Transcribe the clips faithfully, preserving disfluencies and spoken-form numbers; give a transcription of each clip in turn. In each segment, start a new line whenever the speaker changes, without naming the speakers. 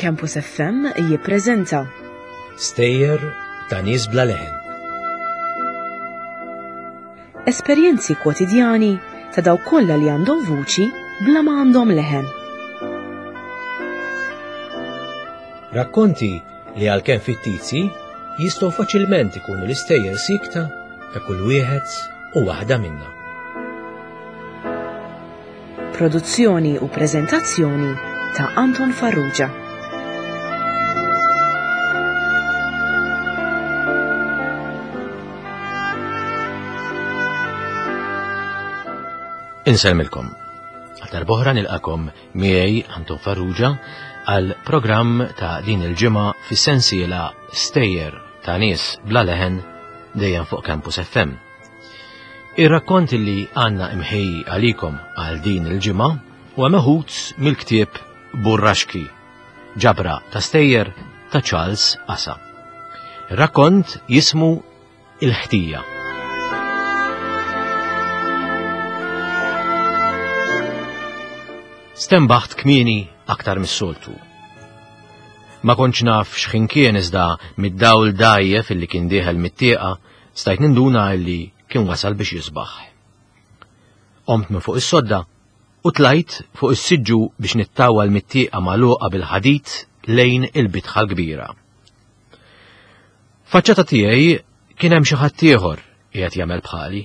Campus F M jippreżenta
Stejjer ta' nies bla leħen.
Esperjenzi kwotidjani ta' dawk kollha li għandhom vuċi bla ma għandhom leħen.
Rakkonti li għalkemm fittizji jistgħu faċilment ikunu l-istejjer sikta ta' kull wieħed u waħda minna.
Produzzjoni u preżentazzjoni ta' Anton Farrugia.
Insellmilkom. Għal darb'oħra nilqakom miegħi Anton Farrugia għal programm ta' din il-ġimgħa fis-sensiela Stejjer ta' nies bla leħen dejjem fuq Campus F M. Ir-rakkont li għandna imħejji għalikom għal din il-ġimgħa huwa meħud mill-ktieb Burraxki, ġabra ta' stejjer ta' Charles Asa. Ir-rakkont jismu Il-Ħtija. Stenbaħt kmieni aktar mis-soltu. Ma kontx naf x'ħin kien iżda mid-dawl dgħajjef illi kien dieħel mit-tieqa stajt ninduna illi kien wasal biex jisbaħ. Qomt minn fuq is-sodda u tlajt fuq is-siġġu biex nittawal mit-tieqa magħluqa bil-ħadid lejn il-bitħa l-kbira. Faċċata tiegħi kien hemm xi ħadd ieħor qiegħed jagħmel bħali.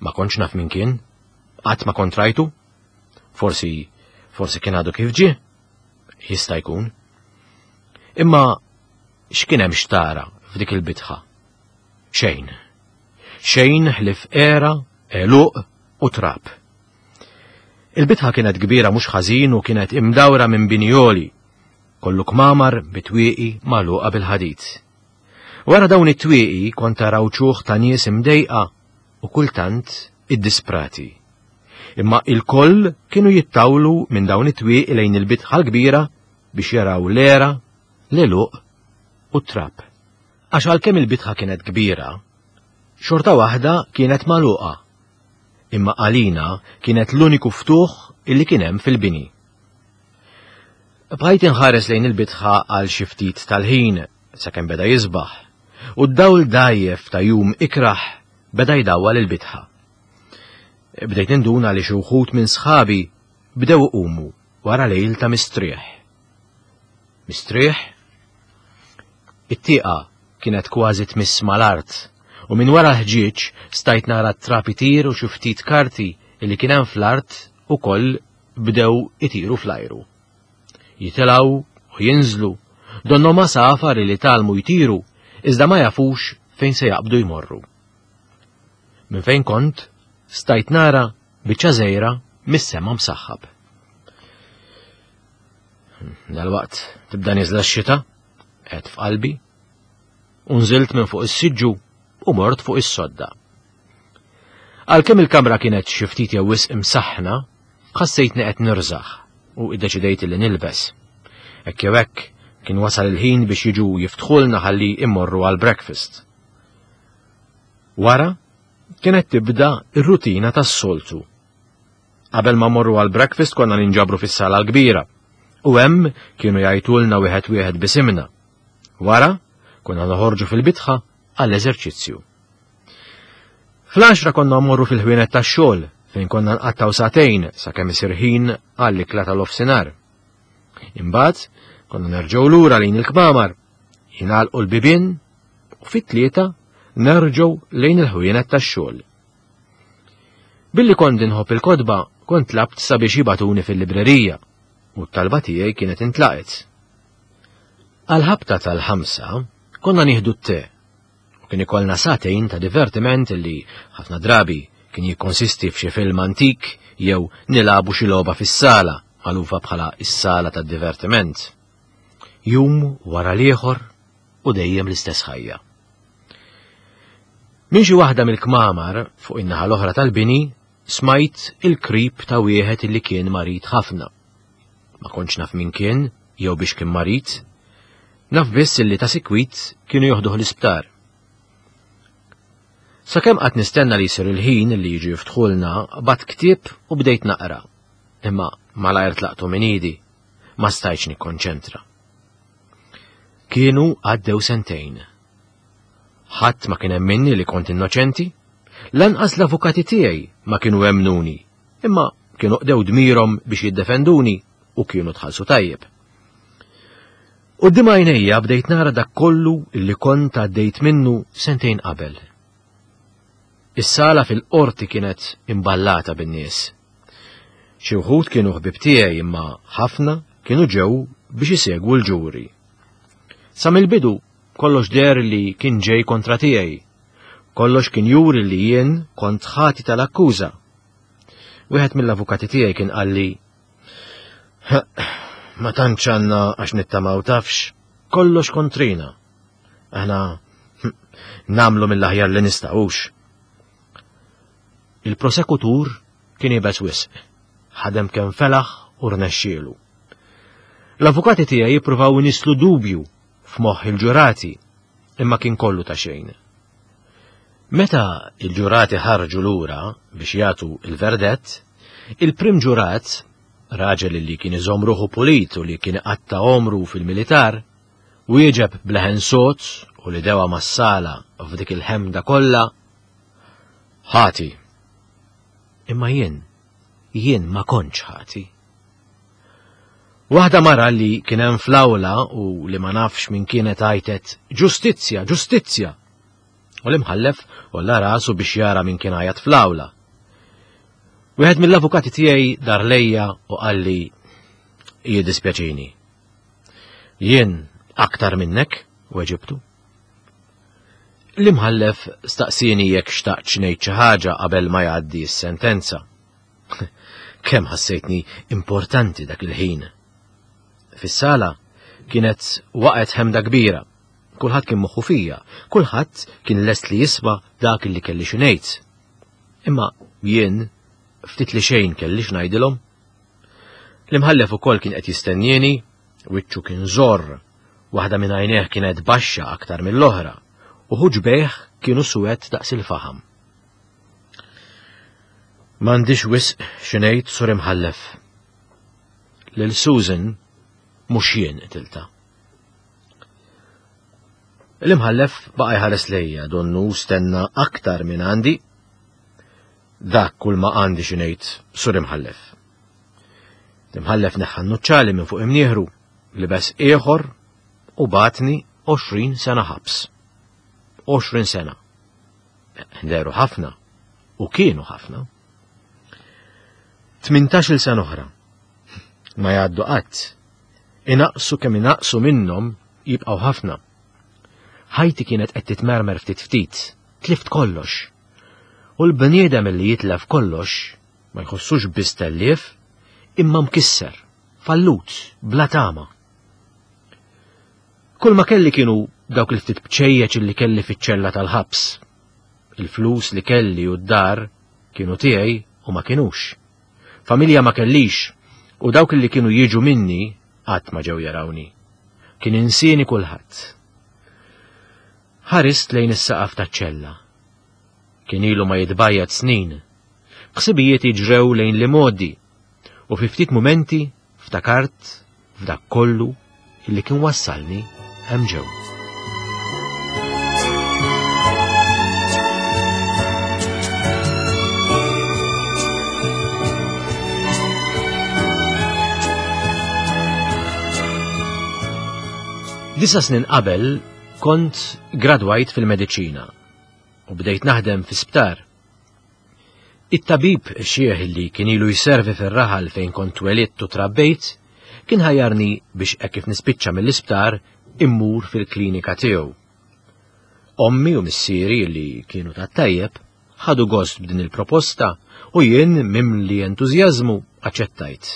Ma kontx naf min kien, qatt ma kont rajtu. Forsi, forsi kien għadu kif ġie, jista' jkun. Imma x'kien hemm xtara f'dik il-bitħa? Xejn. Xejn ħlief għera, għeluq u trab. Il-bitħa kienet kbira mhux ħażin u kienet imdawra minn binjoli, kollu kmamar bitwieqi magħluqa bil-ħadid. Wara dawn it-twieqi kont taraw ċuħ ta' nies imdejqa u kultant iddisprati. Imma il-koll kienu jittawlu minn dawn it-twieqi lejn il-bitħa l-kbira biex jaraw l-għera, l-għeluq u t-trab. Għax għalkemm il-bitħa kienet kbira, xorta waħda kienet magħluqa. Imma għalina kienet l-uniku ftuħ illi kien hemm fil-bini. Bqajt inħares lejn il-bitħa għal xi ftit tal-ħin sakemm beda jisbaħ, u d-dawl dgħajjef ta' jum ikraħ beda jdawwal il-bitħa. Bdejt ninduna li xi wħud minn sħabi bdew iqumu wara lejl ta' mistrieħ. Mistrieħ? It-tieqa kienet kważi tmiss mal-art u minn wara l-ħġieġ stajt nara t-trab itir u xi ftit karti li kien hemm fl-art ukoll bdew itiru fl-ajru. Jitilgħu u jinżlu, donnhom għasafar li tgħallmu jtiru iżda ma jafux fejn se jaqbdu jmorru. Minn fejn kont stajt nara biċċa żgħira mis-sema msaħħab. Dalwaqt tibda nieżla x-xita, qed f'qalbi, u nżilt minn fuq is-siġġu u mort fuq is-sodda. Għalkemm il-kamra kienet xi ftit jew wisq imsaħħna, ħassejtni qed nirżaħ u iddeċidejt li nilbes. Hekk jew hekk kien wasal il-ħin biex jiġu jiftħulna ħalli immorru għal breakfast. Wara kienet tibda ir-rutina tas-soltu. Qabel ma morru għal breakfast konna ninġabru fis-sala l-kbira u hemm kienu jgħidulna wieħed wieħed bisimna. Wara konna noħorġu fil-bitħa għall-eżerċizzju. Fl-għaxra konna mmorru fil-ħwienet tax-xogħol fejn konna nqattgħu sagħtejn sakemm isir ħin għall-ikla tal-ofsinhar. Imbagħad konna nerġgħu lura lejn il-kmamar, jingħalqu l-bibien u fit-tlieta nerġgħu lejn il-ħwienet tax-xogħol. Billi kont inħobb il-kotba, kont tlabt sabiex jibatuni fil-librerija u t-talba tiegħi kienet intlaqet. Għal-ħabta tal-ħamsa konna nieħdu t-te u kien ikollna sagħtejn ta' divertiment li ħafna drabi kien jikkonsisti f'xi film antik jew nilagħbu xi logħba fis-sala magħrufa bħala s-sala tad-divertiment. Jum wara l-ieħor u dejjem l-istess ħajja. Minn xi waħda mill-kmamar fuq in-naħa l-oħra tal-bini smajt il-krib ta' wieħed illi kien marid ħafna. Ma kontx naf min kien jew biex kien marid, naf biss illi ta' sikwit kienu joħduh l-isptar. Sakemm qatt nistenna li jsir il-ħin li jiġu jiftħulna, bat ktieb u bdejt naqra. Imma malajr tlaqtu minn idi, ma stajtx nikkonċentra. Kienu għaddew sentejn. Ħadd ma kien emminni li kont innoċenti, lanqas l-avukati tiegħi ma kienu emmnuni, imma kienu qdew dmirhom biex jiddefenduni u kienu tħallsu tajjeb. Quddiem għajnejja bdejt nara dak kollu li kont għaddejt minnu sentejn qabel. Is-sala fil-qorti kienet imballata bin-nies. Xi wħud kienu ħbieb tiegħi imma ħafna kienu ġew biex isegwu l-ġuri. Sa mill-bidu kollox deher li kien ġej kontra tiegħi. Kollox kien juri li jien kont ħati tal-akkuża. Wieħed mill-avukati tiegħi kien qalli, "Ma tantx għandna għax nittamaw tafx, kollox kontrina. Aħna nagħmlu mill-aħjar li nistgħux." Il-prosekutur kien iebes wisq, ħadem kemm felaħ u rnexxielu. L-avukati tiegħi jippruvaw inislu dubju f'moħħ il-ġurati, imma kien kollu ta' xejn. Meta il-ġurati ħarġu lura biex jagħtu il-verdett, il-prim ġurat, raġel li kien iżomm ruħu pulit u li kien iqatta' għomru fil-militar, wieġeb b'leħen sod u li dewa mas-sala f'dik il-ħemda kollha, ħati. Imma jien, jien ma kontx ħati. Waħda mara li kien hemm fl-awla u li ma nafx min kienet għajtet ġustizzja, ġustizzja. U l-imħallef għolla rasu biex jara min kien għajat fl-awla. Wieħed mill-avukati tiegħi dar lejja u qalli jiddispjaċini. Jien aktar minnek, weġibtu. L-imħallef staqsieni jekk xtaqtx ngħid xi ħaġa qabel ma jgħaddi s-sentenza. Kemm ħassejtni importanti dak il-ħin. Fis-sala kienet waqgħet ħemda kbira. Kulħadd kien moħħu fija, kulħadd kien lest li jisma' dak li kelli xi ngħid. Imma jien ftit li xejn kelli x'ngħidilhom. L-imħallef ukoll kien qed jistennieni, wiċċu kien żorr, waħda minn għajnejh kienet baxxa aktar mill-oħra, u ħuġbejh kienu suwed daqs il-faħam. M'għandix wisq xi ngħid, Sur Imħallef. Lil Susan mhux jien qtiltha. L-imħallef baqa' jħares lejja donnu stenna aktar minn għandi. Dak kull ma għandi xi ngħid, Sur Imħallef. L-imħallef neħħa n-nuċċali minn fuq imnieħru, libes ieħor u bagħatni għoxrin sena ħabs. Għoxrin sena. Dehru ħafna u kienu ħafna. Tmintax-il sena oħra. Ma jgħaddu qatt. Inaqsu kemm inaqsu minnhom jibqgħu ħafna. Ħajti kienet qed titmermer ftit ftit, tlift kollox. U l-bniedem li jitlef kollox ma jħossux biss tellief, imma mkisser, fallut, bla tama. Kull ma kelli kienu dawk il-ftit bċejjeċ li kelli fiċ-ċella tal-ħabs. Il-flus li kelli u d-dar kienu tiegħi u ma kinux. Familja ma kellix u dawk li kienu jiġu minni qatt ma ġew jarawni. Kien insieni kulħadd. Ħarist lejn is-saqaf taċ-ċella. Kien ilu ma jitbajjad snin. Ħsibijiet jiġrew lejn li modi u fi ftit mumenti ftakart f'dak kollu illi kien wassalni hemm ġew. Disa snin qabel kont gradwajt fil-mediċina u bdejt naħdem fi sptar. It-tabib xieħ li kien ilu jservi fir-raħal fejn kont twelidt u trabbejt kien ħajjarni biex hekk kif nispiċċa mill-isptar immur fil-klinika tiegħu. Ommi u missieri li kienu tat-tajjeb ħadu gost b'din il-proposta u jien mimli entużjażmu aċċettajt.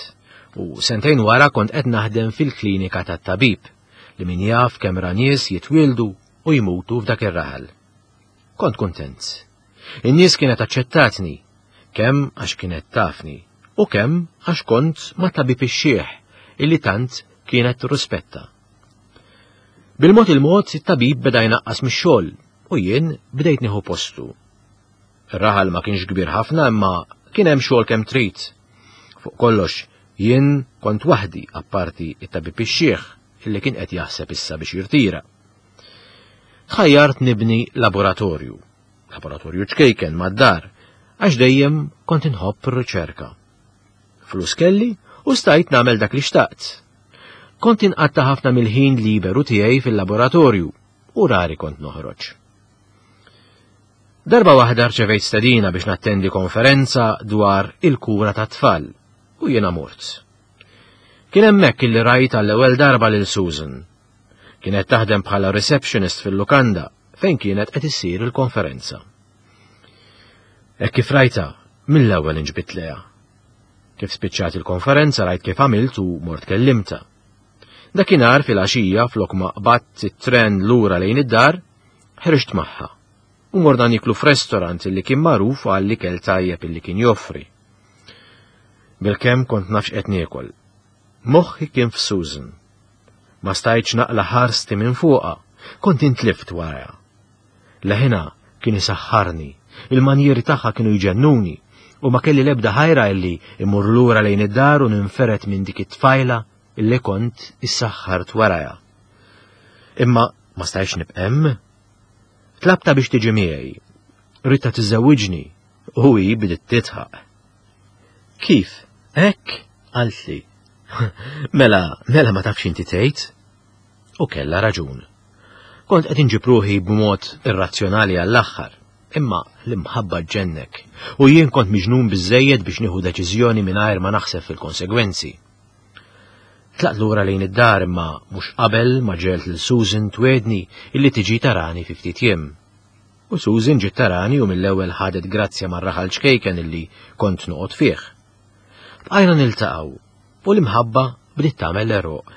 U sentejn wara kont qed naħdem fil-klinika tat-tabib li min jaf kemm ra nies jitwieldu u jmutu f'dak ir-raħal. Kont kuntent. In-nies kienet aċċettatni, kemm għax kienet tafni u kemm għax kont ma' tabib ix-xieħ illi tant kienet tirrispetta. Bil-mod il-mod it-tabib beda jnaqqas mix-xogħol u jien bdejt nieħu postu. Ir-raħal ma kienx kbir ħafna imma kien hemm xogħol kemm trid. Fuq kollox jien kont waħdi apparti it-tabib ix-xieħ illi kien qed jaħseb issa biex jirtira. Tħajjart nibni laboratorju, laboratorju ċkejken mad-dar, għax dejjem kont inħobb ir-riċerka. Flus kelli u stajt nagħmel dak li xtaqt. Kont inqatta' ħafna mill-ħin liberu tiegħi fil-laboratorju u rari kont noħroġ. Darba waħda rċevejt stedina biex nattendi konferenza dwar il-kura tat-tfal u jiena mort. Kien hemmhekk illi rajt għall-ewwel darba lil Susan. Kienet taħdem bħala receptionist fil-lukanda fejn kienet qed issir il-konferenza. Hekk kif rajtha, mill-ewwel inġbidt lejha. Kif spiċċat il-konferenza rajt kif għamilt u mort kellimtha. Dakinhar fil-għaxija flok ma qbadt it-tren lura lejn id-dar, ħriġt magħha u morna niklu f'restorant illi kien magħruf għall-ikel tajjeb illi kien joffri. Bilkemm kont naf x'qed niekol. Moħħi kien f'Susan. Ma stajtx naqla' ħarsti minn fuqha, kont intlift warajha. Leħinha kien isaħħarni, il-manjieri tagħha kienu jġennuni, u ma kelli lebda ħajra illi immur lura lejn id-dar u ninferet minn dik it-tfajla illi kont issaħħart warajha. Imma ma stajtx nibqa' hemm. Tlabtha biex tiġi miegħi. Ridtha tiżżewwiġni u hi bdiet tidħaq. Kif? Hekk? Qaltli. Mela, mela ma tafx inti tgħid? U kellha raġun. Kont qed inġib ruħi b'mod irrazzjonali għall-aħħar, imma l-imħabba ġġennek, u jien kont miġnun biżejjed biex nieħu deċiżjoni mingħajr ma naħseb fil-konsegwenzi. Tlaqt lura lejn id-dar imma mhux qabel ma ġegħelt lil Susan twegħedni illi tiġi tarani fi ftit jiem. U Susan ġiet tarani u mill-ewwel ħadet grazzja mar-raħal ċkejken illi kont noqgħod fih. Bqajna niltaqgħu u l-imħabba bdiet tagħmel l-għeruq.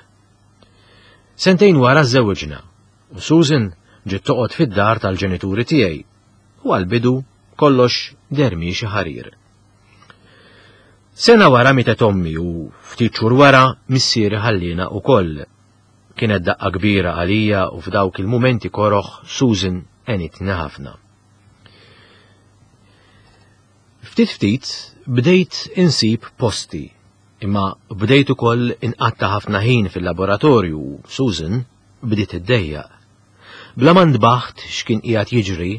Sentejn wara żżewġna u Susan ġiet toqgħod fid-dar tal-ġenituri tiegħi u għall-bidu kollox deher miexi ħarir. Sena wara mietet ommi u ftit xhur wara missieri ħallina wkoll. Kienet daqqa kbira għalija u f'dawk il-mumenti koroħ Susan għenitni ħafna. Ftit ftit bdejt insib posti, imma bdejt ukoll inqatta' ħafna ħin fil-laboratorju u Susan bdiet iddejjaq. Bla ma ntbaħt x'kien qiegħed jiġri,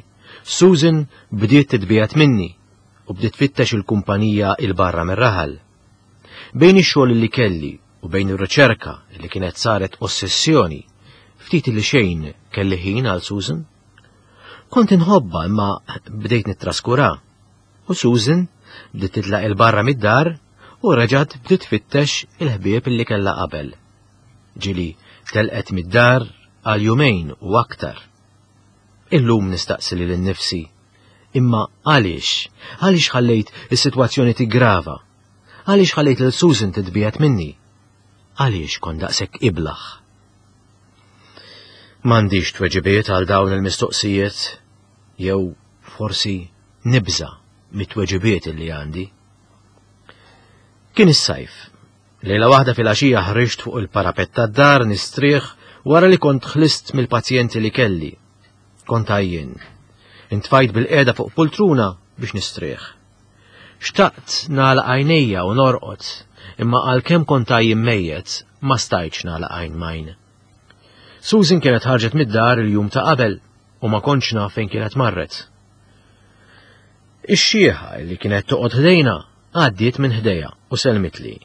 Susan bdiet titbiegħed minni u bdiet tfittex il-kumpanija 'il barra mir-raħal. Bejn ix-xogħol li kelli u bejn ir-riċerka li kienet saret ossessjoni, ftit li xejn kelli ħin għal Susan. Kont inħobbha imma bdejt nittraskura. U Susan bdiet titlaq 'il barra mid-dar u reġgħet bdiet tfittex il-ħbieb li kellha qabel. Ġieli telqet mid-dar għal jumejn u aktar. Illum nistaqsi lili nnifsi, imma għaliex? Għaliex ħallejt is-sitwazzjoni tigrava? Għaliex ħallejt lil Susan titbiegħed minni? Għaliex kont daqshekk iblaħ? M'għandix tweġibiet għal dawn il-mistoqsijiet, jew forsi nibża' mit-tweġibiet li għandi. Kien is-sajf. Lejla waħda fil-għaxija ħriġt fuq il-parapett tad-dar nistrieħ wara li kont ħlist mill-pazjenti li kelli. Kont għajjien. Intfajt bil-qiegħda fuq poltruna biex nistrieħ. Xtaqt nagħlaq għajnejja u norqod, imma għalkemm kont għajjien mejjet, ma stajtx nagħlaq għajn m'għajn. Susan kienet ħarġet mid-dar il-jum ta' qabel u ma kontx naf fejn kienet marret. Ix-xieħa li kienet toqgħod ħdejna għaddiet minn ħdejja u selmitli.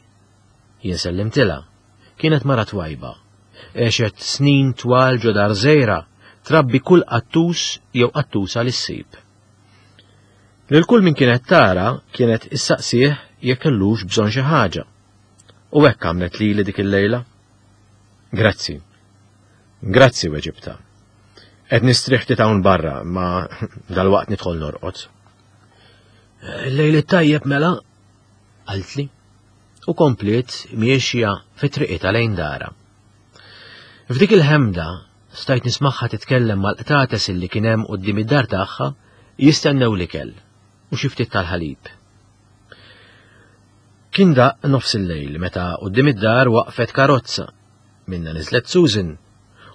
Jien sellimtilha. Kienet mara twajba. Għexet snin twal ġo dar żgħira, trabbi kull qattus jew qattusa li ssib. Lil kull min kienet tara kienet issaqsih jekk kellux bżonn xi ħaġa. U hekk għamlet lili dik il-lejla. Grazzi. Grazzi weġibtha. Qed nistrieħ ftit hawn barra, ma dalwaqt nidħol norqod. Lejl it-tajjeb mela, qaltli, u kompliet miexja fi triqitha lejn dara. F'dik il-ħemda stajt nismagħha titkellem mal-qtates illi kien hemm quddiem id-dar tagħha jistennew l-ikel u xi ftit tal-ħalib. Kien daqq nofs il-lejl meta quddiem id-dar waqfet karozza. Minna niżlet Susan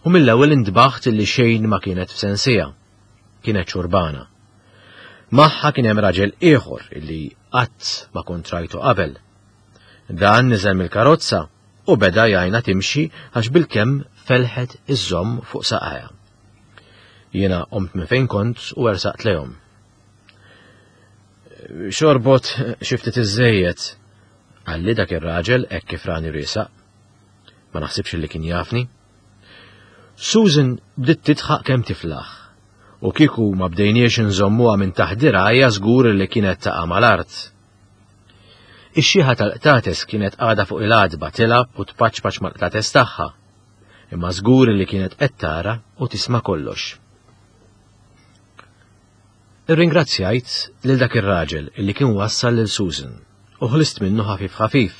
u mill-ewwel intbaħt illi xejn ma kienet f'sensija. Kienet xurbana. Magħha kien hemm raġel ieħor illi qatt ma kont rajtu qabel. Dan niżel mill-karozza u beda jgħinha timxi għax bilkemm felħet iżżomm fuq saqajha. Jiena qomt minn fejn kont u ersaqt lejhom. Xorbot xi ftit iżżejjed, qalli dak ir-raġel hekk kif rani riesaq. Ma naħsibx li kien jafni. Susan bdiet tidħaq kemm tiflaħ, u kieku ma bdejniex inżommuha minn taħt dirgħajja żgur li kienet taqa' mal-art. Ix-xiħa tal-qtates kienet għadha fuq il-għatba tilgħab u tpaċpaċ mal-qtates tagħha, imma żgur li kienet qed tara u tisma' kollox. Irringrazzjajt lil dak ir-raġel illi kien wassal lil Susan u ħlist minnu ħafif ħafif.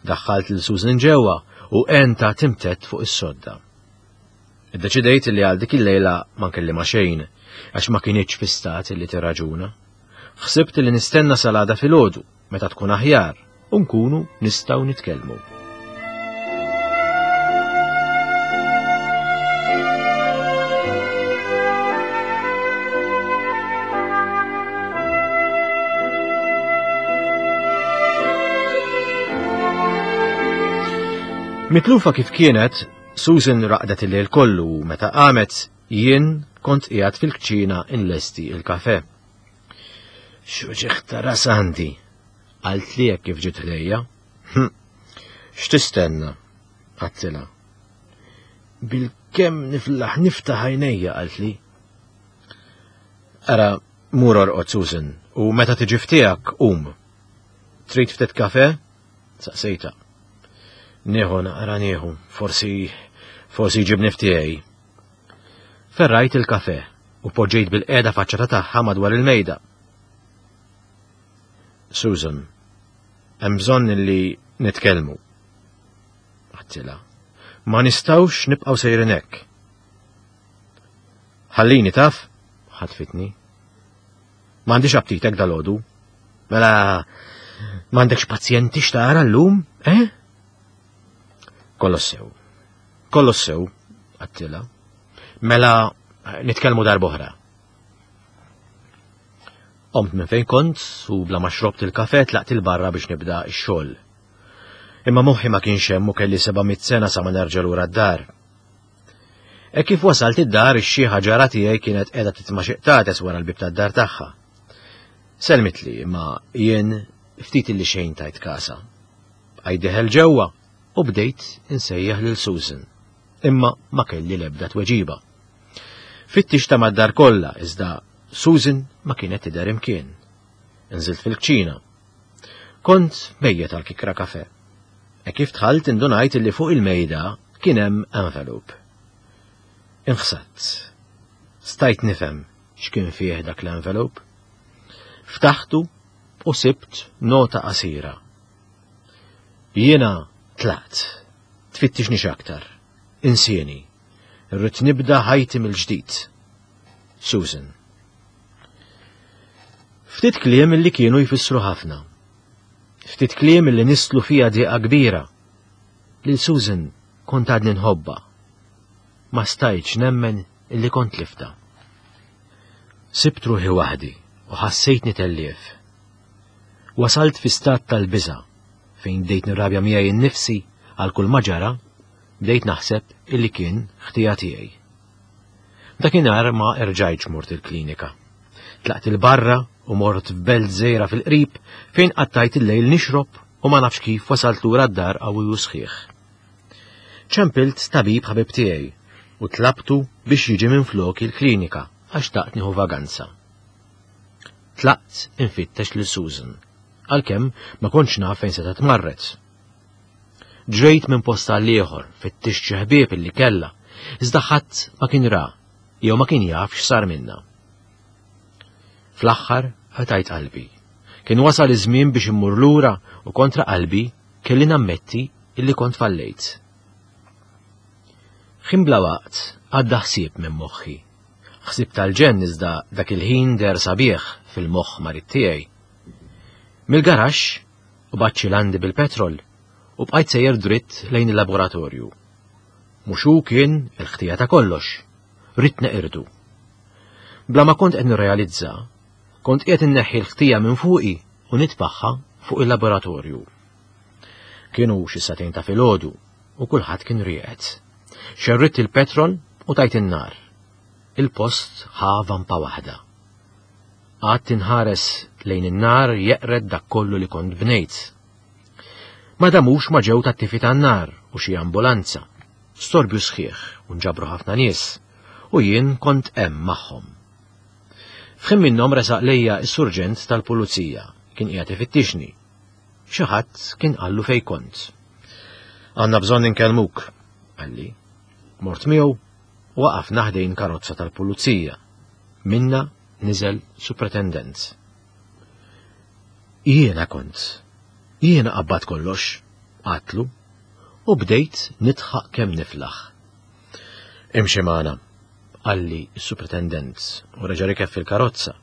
Daħħalt lil Susan ġewwa u għentha timtedd fuq is-sodda. Iddeċidejt li għal dik il-lejla ma nkellimha xejn għax ma kinitx fi stat li tirraġuna. Ħsibt li nistenna sal-għada filgħodu meta tkun aħjar u nkunu nistgħu nitkellmu. Mitlufa kif kienet, Susan raqdet il-lejl kollu u meta qamet jien kont qiegħed fil-kċina inlesti il-kafe. X'uġigħ ta' ras għandi, qalt li hekk kif ġiet ħdejja. Hm, x'tistenna? Għedtilha. Bilkemm niflaħ niftaħ għajnejja, qalt li. Ara, mur orqod Susan, u meta tiġi ftiegħek qum. Trid ftit kafe? Saqsejta. Nieħu naqra nieħu, forsi forsi jġibni ftiegħi. Ferrajt il-kafe u poġġejt bil-qiegħda faċċata tagħha madwar il-mejda. Susan, hemm bżonn li nitkellmu. Għedtilha. Ma nistgħux nibqgħu sejrin hekk. Ħallini taf, ħatfitni. M'għandix aptitek dalgħodu. Mela m'għandekx pazjenti x'tara llum, eh? Kollox sew. Kollox sew, għedtilha. Mela nitkellmu darb'oħra. Qomt minn fejn kont u bla ma xrobt il-kafe tlaqt il-barra biex nibda x-xogħol. Imma moħħi ma kienx hemm u kelli seba' mitt sena sa ma nerġa' lura d-dar. E kif wasalt id-dar, ix-xiħa ġara tiegħi kienet qiegħda titma' xi qtates wara l-bieb tad-dar tagħha. Selmitli, imma jien ftit illi xejn tajt kasa. Bqajt dieħel ġewwa u bdejt insejjaħ lil Susan, imma ma kelli l-ebda tweġiba. Fittixtha mad-dar kollha, iżda Susan ma kienet tidher imkien. Nżilt fil-kċina. Kont mejjet għal kikra kafe. E kif dħalt indunajt illi fuq il-mejda kien hemm envelope. Inħsadt. Stajt nifhem x'kien fih dak l-envelope. Ftaħtu u sibt nota qasira. Jiena tlaqt. Tfittixnix aktar. Insieni. Irrid nibda ħajti mill-ġdid. Susan. Ftit kliem illi kienu jfissru ħafna. Ftit kliem illi nisslu fija diqa kbira. Lil Susan kont għadni nħobba. Ma stajtx nemmen illi kont liftha. Sibt ruħi waħdi u ħassejtni tellief. Wasalt fi stat tal-biża' fejn bdejt nirrabja miegħi nnifsi għal kull ma ġara, bdejt naħseb illi kien ħtija tiegħi. Dakinhar ma erġajtx mort il-klinika. Tlaqt il-barra u mort f'belt żgħira fil-qrib fejn qattajt il-lejl nixrob u ma nafx kif wasalt lura d-dar qawwi u sħiħ. Ċempilt tabib ħabib tiegħi u tlabtu biex jiġi minn flok il-klinika għax xtaqt nieħu vaganza. Tlaqt infittex lil Susan, għalkemm ma kontx naf fejn setgħet marret. Ġrejt minn post għal ieħor, fittixt xi ħbieb illi kellha, iżda ħadd ma kien ra jew ma kien jaf x'sar minna. Fl-aħħar qtajt qalbi. Kien wasal iż-żmien biex immur lura u kontra qalbi kelli nammetti illi kont fallejt. Ħin bla waqt għadda ħsieb minn moħħi. Ħsieb tal-ġenn iżda dak il-ħin deher sabiħ fil-moħħ marid tiegħi. Mill-garaxx u baċċi landi bil-petrol u bqajt sejjer dritt lejn il-laboratorju. Mhux hu kien il-ħtija ta' kollox, ridt neqirdu. Bla ma kont qed nirrealizza, kont qiegħed inneħħi l-ħtija minn fuqi u nitfaħħa fuq il-laboratorju. Kienu xi sagħtejn ta' filgħodu u kulħadd kien rieqed. Xerridt il-petrol u tajt in-nar. Il-post ħa vampa waħda. Qgħadt inħares lejn in-nar jeqred dak kollu li kont bnejt. Ma damux ma ġew tat-tifi tan-nar u xi ambulanza. Storbju sħiħ u nġabru ħafna nies u jien kont hemm magħhom. F'ħin minnhom resaq lejja s-surġent tal-pulizija kien qiegħed ifittixni. Xi ħadd kien qallu fejn kont. Għandna bżonn inkellmuk, qalli. Mort miegħu u waqafna ħdejn karozza tal-pulizija. Minna niżel supretendent. Jiena kont. Jiena qabbat kollox, għedtlu, u bdejt nidħaq kemm niflaħ. Imxi magħna, qalli s-supretendent u reġa' rikeb fil-karozza.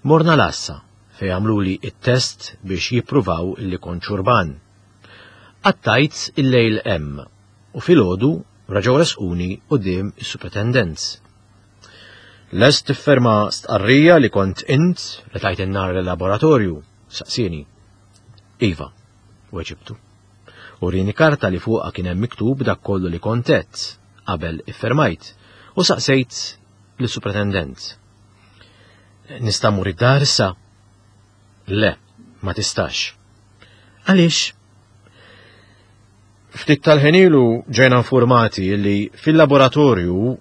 Morna l-għassa fejn għamluli it-test biex jippruvaw illi kont xurban. Qattajt il-lejl hemm u filgħodu reġgħu resquni quddiem is-supretendent. Lest tifferma stqarrija li kont int li tajt in-nar l-laboratorju, saqsieni. Iva, weġibtu. Urieni karta li fuqha kien hemm miktub dak kollu li kont għedt qabel iffermajt u saqsejt lis-supretendent. Nista' mmur id-dar issa? Le, ma tistax. Għaliex? Ftit tal-ħin ilu ġejna informati li fil-laboratorju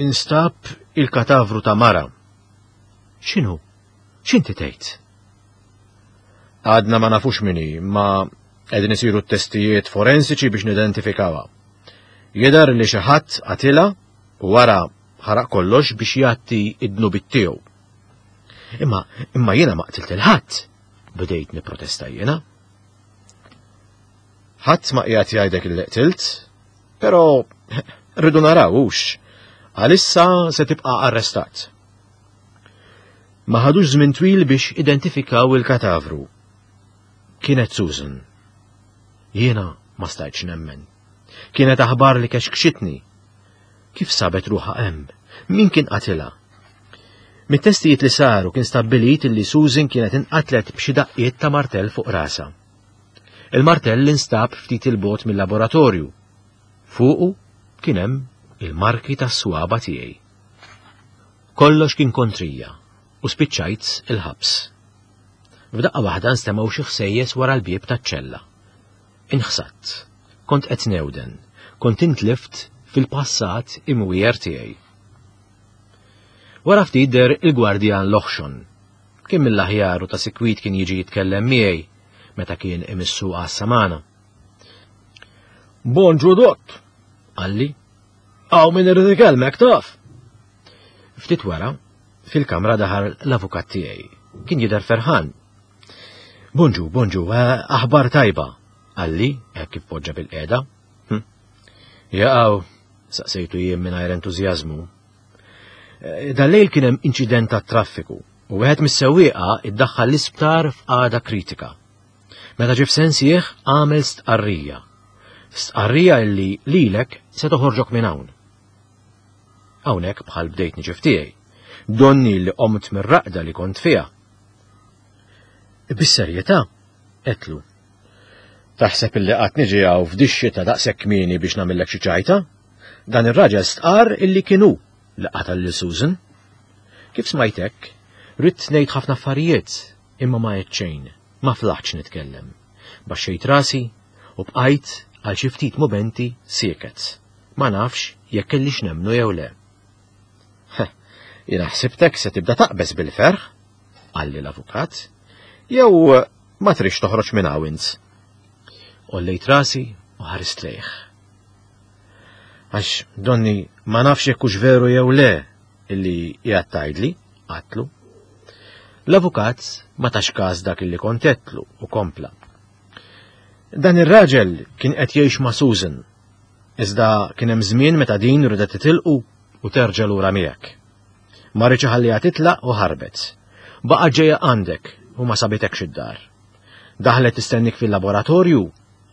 instab il-katavru ta' mara. X'inhu? X'inti tgħid? Għadna ma nafux min hi, ma qegħdin isiru t-testijiet forensiċi biex nidentifikawha. Jidher li xi ħadd qatilha u wara ħaraq kollox biex jgħatti id-dnubiet tiegħu. Imma imma jiena ma qtilt lil ħadd, bdejt nipprotesta jiena. Ħadd ma qiegħed jgħidek illi qtilt, però rridu naraw hux. Għalissa se tibqa' arrestat. Ma ħadux żmien twil biex identifikaw il-katavru. Kienet Susan. Jiena ma stajtx nemmen. Kienet aħbar li kexkxitni. Kif sabet ruħha hemm? Min kien qatilha? Mit-testijiet li saru kien stabbilit li Susan kienet inqatlet b'xi daqqiet ta' martell fuq rasha. Il-martell instab ftit 'il bogħod mill-laboratorju. Fuqu kien hemm il-marki tas-swaba tiegħi. Kollox kien kontrija u spiċċajt il-ħabs. F'daqqa waħda nstemgħu xi ħsejjes wara l-bieb taċ-ċella. Inħsadt, kont qed newden, kont intlift fil-passat imwiegħer tiegħi. Wara ftit deher il-gwardjan Loħxon. Kien mill-aħjar u ta' sikwit kien jiġi jitkellem miegħi meta kien imissu għassa magħna. Bonġu dott, qalli. Hawn min irid ikellmek taf. Ftit wara, fil-kamra daħal l-avukat tiegħi. Kien jidher ferħan. Bonġu, bonġu, aħbar tajba, qalli, hekk kif poġġa bil-qiegħda. Hm. Jaqaw, saqsejtu jien mingħajr entużjażmu. Dal-lejl kien hemm inċident tat-traffiku u wieħed mis-sewwieqa iddaħħal l-isptar f'qagħda kritika. Meta ġie f'sensih għamel stqarrija. Stqarrija illi lilek se toħorġok minn hawn. Hawnhekk bħal bdejt niġi f'tiegħi. Donni li qomt mir-raqda li kont fiha. Bis-serjetà, għedtlu. Taħseb illi qatt niġi hawn f'dix-xita daqshekk kmieni biex nagħmillek xi ċajta? Dan ir-raġel stqar illi kien hu li qatal lil Susan. Kif smajtek, ridt ngħid ħafna affarijiet, imma ma għedt xejn, ma flaħtx nitkellem. Baxxejt rasi u bqajt għal xi ftit mumenti sieket. Ma nafx jekk kellix nemmnu jew le. Jiena ħsibtek se tibda taqbeż bil-ferħ, qalli l-avukat, jew ma tridx toħroġ minn hawn int. Għollejt rasi u ħarist lejh. Għax donni ma nafx jekk hux veru jew le illi qiegħed tgħidli, għedtlu. L-avukat ma tax każ dak illi kont għedtlu u kompla. Dan ir-raġel kien qed jgħix ma' Susan, iżda kien hemm żmien meta din ridet titilqu u terġa' lura miegħek. Ma riedx iħalliha titlaq u ħarbet. Baqgħet ġejja għandek u ma sabitekx id-dar. Daħlet tistennik fil-laboratorju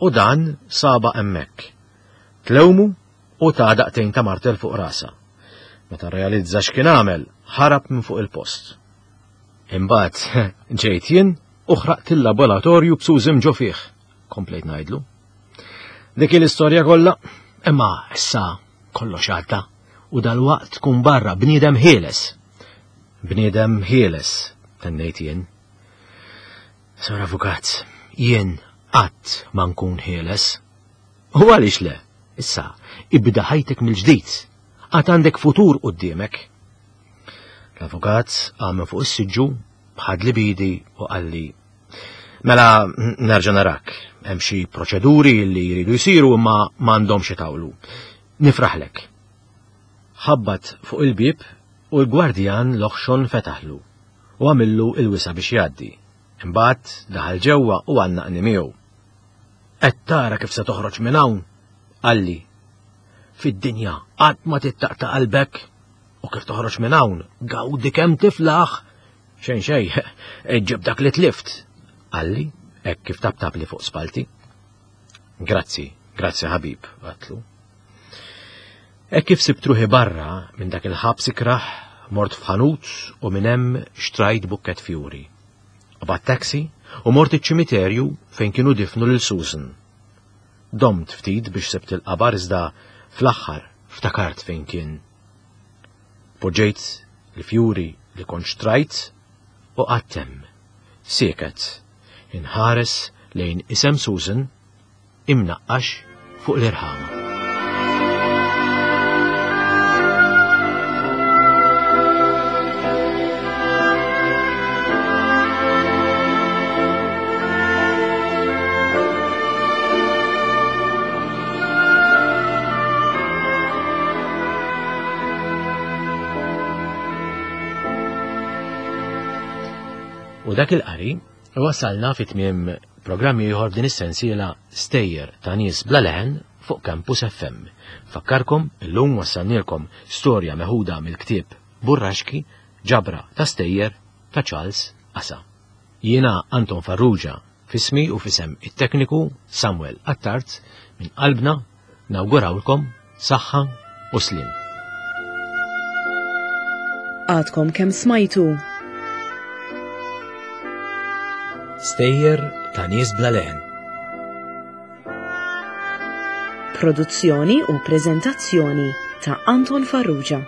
u dan saba hemmhekk. Tlewmu u ta daqtejn ta' martel fuq rasa. Meta realizza x'kien għamel, ħarab minn fuq il-post. Imbagħad ġejt jien u ħraqt il-laboratorju b'Susan ġo fih, komplejt ngħidlu. Dik l-istorja kollha, imma issa kollox għadda u dalwaqt tkun barra bniedem ħieles. Bniedem ħieles, tennejt jien. Sor Avukat, jien qatt ma nkun ħieles. U għaliex le? Issa, ibda ħajtek mill-ġdid. Għad għandek futur quddiemek. L-avukat qam fuq is-siġġu, ħadli b'idi u qalli: Mela nerġa' narak, hemm xi proċeduri li jridu jsiru imma m'għandhomx itawlu. Nifraħlek. Ħabbat fuq il-bieb u l-gwardjan loħxon fetaħlu u għamillu il-wisa biex jgħaddi. Imbagħad daħal ġewwa u għannaqni miegħu. Qed tara kif se toħroġ minn hawn? Qalli. Fid-dinja qatt ma tittaqta' qalbek u kif toħroġ minn hawn gawdi kemm tiflaħ. Xejn xejn, ġib dak li tlift. Qalli, hekk kif taptabli fuq spalti. Grazzi, grazzi ħabib, għatlu. Hekk kif sibt ruħi barra minn dak il-ħabs ikrah, mort f'ħanut u minn hemm xtrajt bukket fjuri. Qbadt taxi u mort iċ-ċimiterju fejn kienu difnu lil Susan. Domt ftit biex sibt il-qabar iżda fl-aħħar ftakart fejn kien. Poġġejt il-fjuri li kont xtrajt u qgħadt hemm, sieket, inħares lejn isem Susan imnaqqax fuq l-irħama. U dak il-qari wasalna fi tmiem programm ieħor f'din is-sensiela Stejjer ta' nies bla leħen fuq Campus F M. Fakkarkom illum wassalnielkom storja meħuda mill-ktieb Burraxki, ġabra ta' stejjer ta' Charles Asa. Jiena Anton Farrugia, fismi u fisem it-tekniku Samuel Attard, minn qalbna nawgurawlkom saħħa u slim.
Għadkom kemm smajtu
Stejjer ta' nies bla leħen.
Produzzjoni u preżentazzjoni ta' Anton Farrugia.